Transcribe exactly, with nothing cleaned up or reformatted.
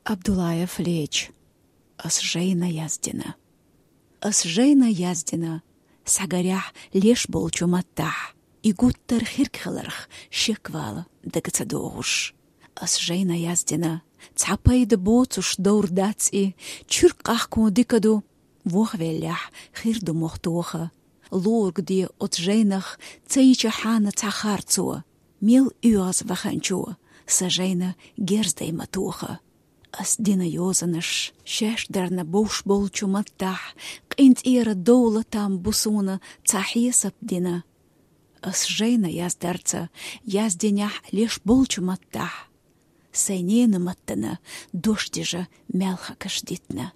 Абдулаев Леч. Ас жайна яздина. Ас жайна яздина сагаряхь леш болчу маттахь. И гуттар хирг хиларх шеквала дага ца догӀуш. Ас жайна яздина, цхьа пайда боцуш довр дац и, чуьрк къахкун дика ду, вохвеллехь хир ду мох тоха. Лорг де оцу жайнах ца йича хьана цхьа харцо, мел оьгӀаз ваханчо сан жайна герздай ма тоха. Ас дина йозанаш шаьш дарна бовш болчу маттахь, къинцӀера довла там бу суна цхьа хьесап дина. Ас жайна яздарца яздинехь леш болчу маттахь, сайн нена маттана дош дижа маьлхакаш дитна.